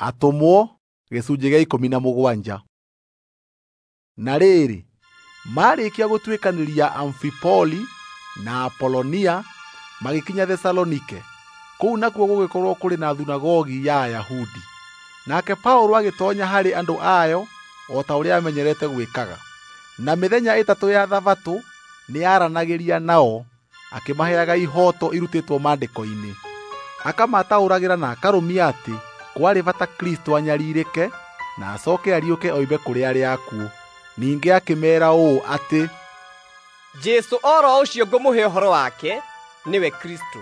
Atũmwo gĩcunjĩ gĩa 17. Na rĩrĩ, maarĩkia gũtuĩkanĩria Amfipoli na Apolonia, magĩkinya Thesalonike. Kũu nakuo gũgĩkorwo kũrĩ na thunagogi ya Ayahudi. Nake Paũlũ agĩtoonya harĩ andũ ayo o ta ũrĩa amenyerete gwĩkaga. Na mĩthenya 3 ya Thabatũ nĩaranagĩria nao, akĩmaheaga ihooto irutĩtwo Maandĩko-inĩ. Akamataũragĩra na akarũmia atĩ kwarĩ bata Kristũ anyarirĩke na acooke ariũke oime kũrĩ arĩa akuũ. Ningĩ akĩmeera ũũ atĩ, Jesũ o ro ũcio ngũmũhe ũhoro wake nĩwe Kristũ.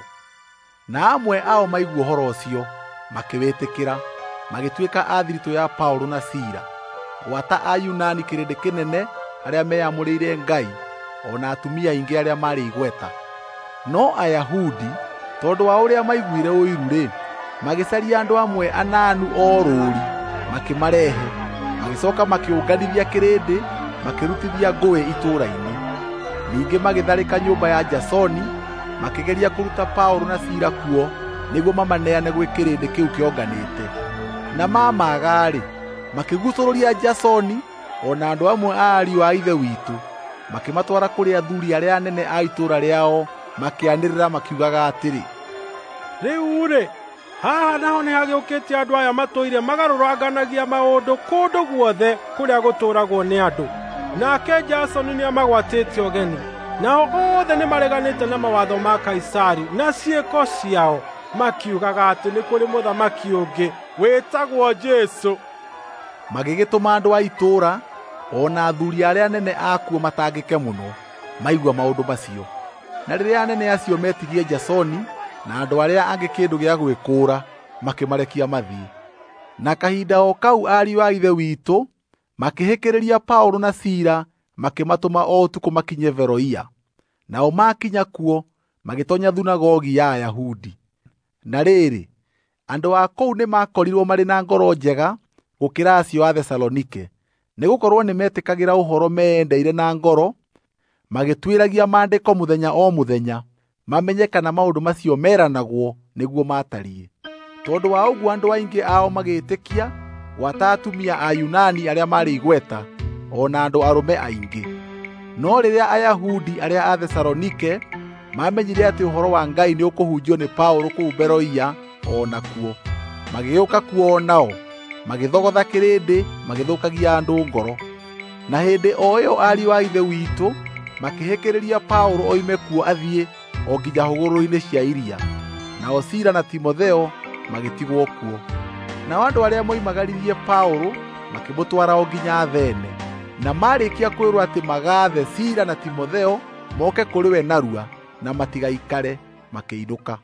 Na amwe ao maigua ũhoro ũcio makĩwĩtĩkĩra, magĩtuĩka a thiritũ ya Paũlũ na Sila, gwata Ayunani kĩrĩndĩ kĩnene arĩa meyamũrĩire Ngai, o na atumia aingĩ arĩa maarĩ igweta. No Ayahudi, tondũ wa ũrĩa maiguire ũiru-rĩ, magĩcaria andũ amwe ananu o rũũri, makĩmarehe, magĩcooka makĩũnganithia kĩrĩndĩ, makĩrutithia ngũĩ itũũra-inĩ. Ningĩ magĩtharĩka nyũmba ya Jasoni, makĩgeria kũruta Paũlũ na Sila kuo nĩguo mamaneane gwĩ kĩrĩndĩ kĩu kĩonganĩte. Na maamaaga-rĩ, makĩguucũrũria Jasoni o na andũ amwe a ariũ a Ithe witũ, makĩmatwara kũrĩ athuuri arĩa anene a itũũra rĩao, makĩanĩrĩra makiugaga atĩrĩ, "Rĩu-rĩ, haha naho nĩhagĩũkĩte andũ aya matũire magarũranganagia maũndũ kũndũ guothe kũrĩa gũtũũragwo nĩ andũ. Nake Jasoni nĩamagwatĩte ũgeni. Nao othe nĩmareganĩte na mawatho ma Kaisari na ciĩko ciao, makiugaga atĩ nĩ kũrĩ mũthamaki ũngĩ wĩtagwo Jesũ." Magĩgĩtũma andũ a itũũra o na athuuri arĩa anene akuo matangĩke mũno maigua maũndũ macio. Na rĩrĩa anene acio metirie Jasoni na andũ arĩa angĩ kĩndũ gĩa gwĩkũũra, makĩmarekia mathiĩ. Na kahinda o kau ariũ a Ithe witũ makĩhĩkĩrĩria Paũlũ na Sila, makĩmatũma o ũtukũ makinye Beroia. Nao maakinya kuo magĩtoonya thunagogi ya Ayahudi. Na rĩrĩ, andũ a kũu nĩmakorirwo marĩ na ngoro njega gũkĩra acio a Thesalonike, nĩgũkorwo nĩmetĩkagĩra ũhoro meendeire na ngoro, magĩtuĩragia Maandĩko mũthenya o mũthenya, mamenye kana maũndũ macio meranagwo nĩguo maatariĩ. Tondũ wa ũguo andũ aingĩ ao magĩĩtĩkia, gwata atumia Ayunani arĩa maarĩ igweta, o na andũ arũme aingĩ. No rĩrĩa Ayahudi arĩa a Thesalonike mamenyire atĩ ũhoro wa Ngai nĩũkũhunjio nĩ Paũlũ kũu Beroia o nakuo, magĩũka kuo o nao, magĩthogotha kĩrĩndĩ, magĩthũkagia andũ ngoro. Na hĩndĩ o ĩyo ariũ a Ithe witũ makĩhĩkĩrĩria Paũlũ oime kuo athiĩ o nginya hũgũrũrũ-inĩ cia iria. Nao Sila na Timotheo magĩtigwo kuo. Nao andũ arĩa moimagaririe Paũlũ makĩmũtwara o nginya Athene. Na maarĩkia kwĩrwo atĩ magaathe Sila na Timotheo moke kũrĩ we narua na matigaikare, makĩinũka.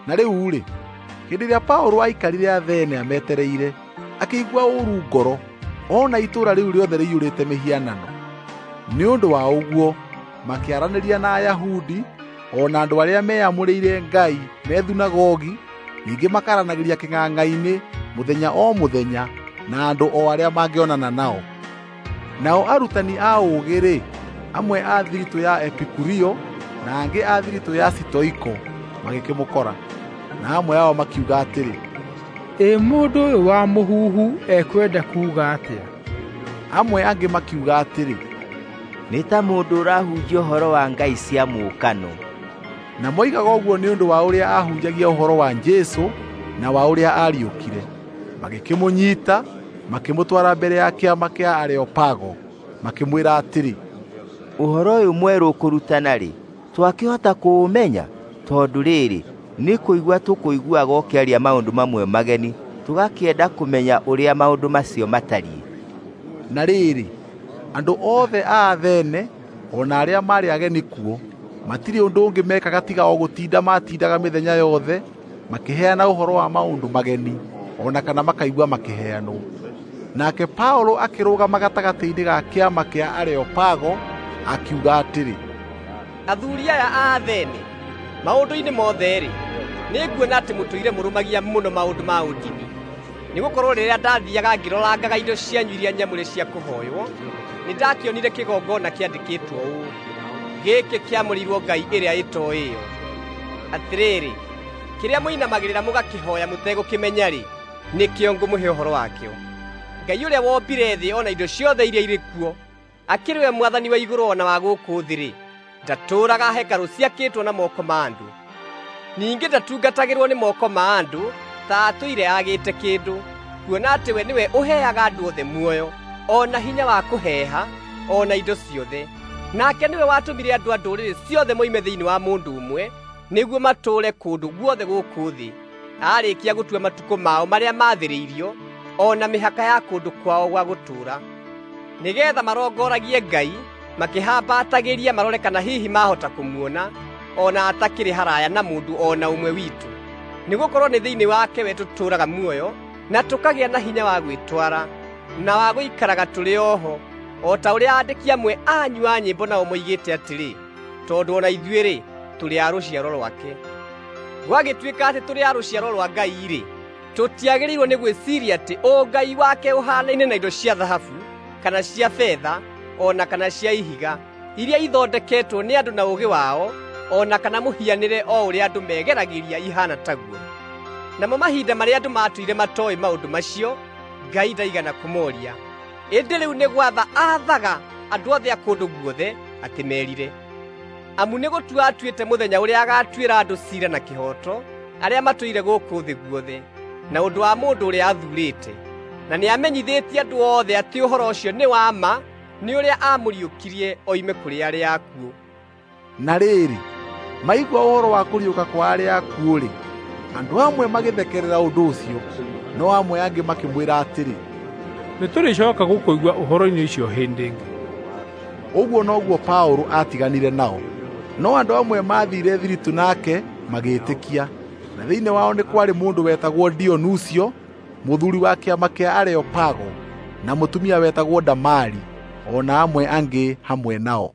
Na rĩu-rĩ, hĩndĩ ĩrĩa Paũlũ aikarire Athene ametereire, akĩigua ũũru ngoro ona itũũra rĩu rĩothe rĩiyũrĩte mĩhianano. Nĩ ũndũ wa ũguo makĩaranĩria na Ayahudi o na andũ arĩa meyamũrĩire Ngai me thunagogi, ningĩ makaranagĩria kĩng'ang'a-inĩ mũthenya o mũthenya na andũ o arĩa mangĩonana nao. Nao arutani a ũũgĩ-rĩ, amwe a thiritũ ya Epikurio na angĩ a thiritũ ya Sitoiko magĩkĩmũkora. Na amwe ao makiuga atĩrĩ, "Ĩ mũndũ ũyũ wa mũhuhu ekwenda kuuga atĩa?" Amwe angĩ makiuga atĩrĩ, "Nĩ ta mũndũ ũrahunjia ũhoro wa ngai cia mũũkano." Na moigaga ũguo nĩ ũndũ wa ũrĩa aahunjagia ũhoro wa Jesũ na wa ũrĩa aariũkire. Magĩkĩmũnyiita, makĩmũtwara mbere ya kĩama kĩa Areopago, makĩmwĩra atĩrĩ, "Ũhoro ũyũ mwerũ ũkũrutana-rĩ, twakĩhota kũũmenya? Tondũ rĩrĩ, nĩ kũigua tũkũiguaga ũkĩaria maũndũ mamwe mageni, tũgakĩenda kũmenya ũrĩa maũndũ macio matariĩ." Na rĩrĩ, andũ othe a Athene o na arĩa maarĩ ageni kuo matirĩ ũndũ ũngĩ mekaga tiga o gũtinda matindaga mĩthenya yothe makĩheana ũhoro wa maũndũ mageni, o na kana makaigua makĩheanwo. Nake Paũlũ akĩrũgama gatagatĩ-inĩ ga kĩama kĩa Areopago akiuga atĩrĩ, "Athuuri aya a Athene, maũndũ-inĩ mothe-rĩ, nĩnguona atĩ mũtũire mũrũmagia mũno maũndũ ma ũndini. Nĩgũkorwo rĩrĩa ndathiiaga ngĩrorangaga indo cianyu iria nyamũre cia kũhooywo, nĩndakĩonire kĩgongona kĩandĩkĩtwo ũũ: 'Gĩkĩ kĩamũrĩirwo ngai ĩrĩa ĩtooĩyo.' Atĩrĩrĩ, kĩrĩa mũinamagĩrĩra mũgakĩhooya mũtegũkĩmenya-rĩ, Nĩkĩo ngũmũhe ũhoro wakĩo. Ngai ũrĩa wombire thĩ o na indo ciothe iria irĩ kuo, akĩrĩ we mwathani wa igũrũ o na wa gũkũ thĩ-rĩ, ndatũũraga hekarũ ciakĩtwo na moko ma andũ. Ningĩ ndatungatagĩrwo nĩ moko ma andũ ta atũire agĩte kĩndũ, kuona atĩ we nĩwe ũheaga andũ othe muoyo, o na hinya wa kũheeha, o na indo ciothe. Nake nĩwe watũmire andũ a ndũrĩrĩ ciothe moime thĩinĩ wa mũndũ ũmwe, nĩguo matũũre kũndũ guothe gũkũ thĩ, aarĩkia gũtua matukũ mao marĩa maathĩrĩirio, o na mĩhaka ya kũndũ kwao gwa gũtũũra, nĩgeetha marongoragie Ngai makĩhambatagĩria marore kana hihi mahota kũmuona, o na atakĩrĩ haraya na mũndũ o na ũmwe witũ. Nĩgũkorwo nĩ thĩinĩ wake we tũtũũraga muoyo, na tũkagĩa na hinya wa gwĩtwara, na wa gũikaraga tũrĩ oho, o ta ũrĩa aandĩki amwe anyu a nyĩmbo nao moigĩte atĩrĩ, tondũ o na ithuĩ-rĩ, tũrĩ a rũciaro rwake. Gwagĩtuĩka atĩ tũrĩ a rũciaro rwa Ngai-rĩ, tũtiagĩrĩirwo nĩ gwĩciiria atĩ ũngai wake ũhaanaine na indo cia thahabu, kana cia betha, o na kana cia ihiga, iria ithondeketwo nĩ andũ na ũũgĩ wao, o na kana mũhianĩre o ũrĩa andũ megeragĩria ihaana taguo. Namo mahinda marĩa andũ maatũire matooĩ maũndũ macio, Ngai ndaigana kũmooria. Ĩndĩ rĩu nĩ gwatha aathaga andũ othe a kũndũ guothe atĩ merire. Amu nĩ gũtua atuĩte mũthenya ũrĩa agaatuĩra andũ ciira na kĩhooto, arĩa matũire gũkũ thĩ guothe, na ũndũ wa mũndũ ũrĩa athuurĩte. Na nĩamenyithĩtie andũ othe atĩ ũhoro ũcio nĩ wa ma, nĩ ũrĩa aamũriũkirie oime kũrĩ arĩa akuũ. Na rĩrĩ, maigua ũhoro wa kũriũka kwa arĩa akuũ-rĩ, andũ amwe magĩthekerera ũndũ ũcio, no amwe angĩ makĩmwĩra atĩrĩ, Nĩtũrĩcooka gũkũigua ũhoro-inĩ ũcio hĩndĩ ĩngĩ. Ũguo noguo Paũlũ aatiganire nao. No andũ amwe maathiire thiritũ nake magĩĩtĩkia, na thĩinĩ wao nĩ kwarĩ mũndũ wetagwo Dionusio, mũthuuri wa kĩama kĩa Areopago, na mũtumia wetagwo Damari, o na amwe angĩ hamwe nao.